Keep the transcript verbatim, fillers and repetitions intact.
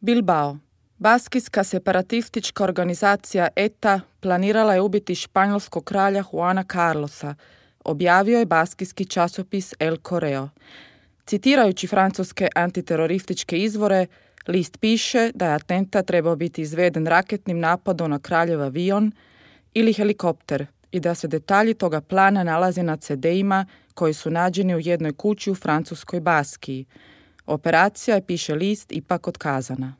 Bilbao. Baskijska separatistička organizacija E T A planirala je ubiti španjolskog kralja Juana Carlosa, objavio je baskijski časopis El Correo. Citirajući francuske antiterorističke izvore, list piše da je atentat trebao biti izveden raketnim napadom na kraljev avion ili helikopter i da se detalji toga plana nalaze na ce deima koji su nađeni u jednoj kući u francuskoj Baskiji. Operacija je, piše list, ipak otkazana.